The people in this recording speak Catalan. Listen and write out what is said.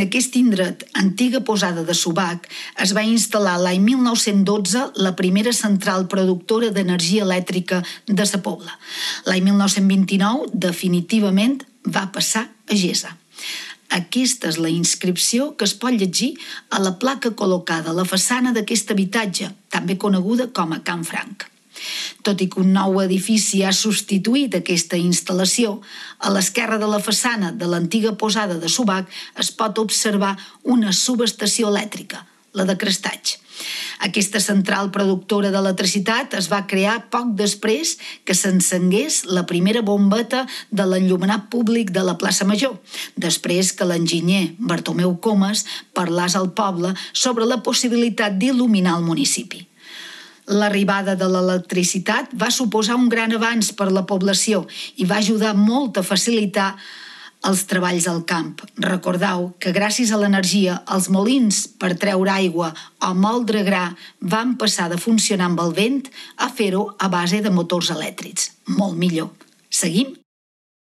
En aquest indret, antiga posada de Subac, es va instal·lar l'any 1912 la primera central productora d'energia elèctrica de sa Pobla. L'any 1929, definitivament, va passar a Gesa. Aquesta és la inscripció que es pot llegir a la placa col·locada a la façana d'aquest habitatge, també coneguda com a Can Franc. Tot i que un nou edifici ha substituït aquesta instal·lació, a l'esquerra de la façana de l'antiga posada de Subac es pot observar una subestació elèctrica, la de Crestatx. Aquesta central productora d'electricitat es va crear poc després que s'encengués la primera bombeta de l'enllumenat públic de la plaça Major, després que l'enginyer Bartomeu Comas parlàs al poble sobre la possibilitat d'il·luminar el municipi. L'arribada de l'electricitat va suposar un gran avanç per a la població i va ajudar molt a facilitar els treballs al camp. Recordeu que gràcies a l'energia els molins per treure aigua o moldre gra van passar de funcionar amb el vent a fer-ho a base de motors elèctrics. Molt millor. Seguim?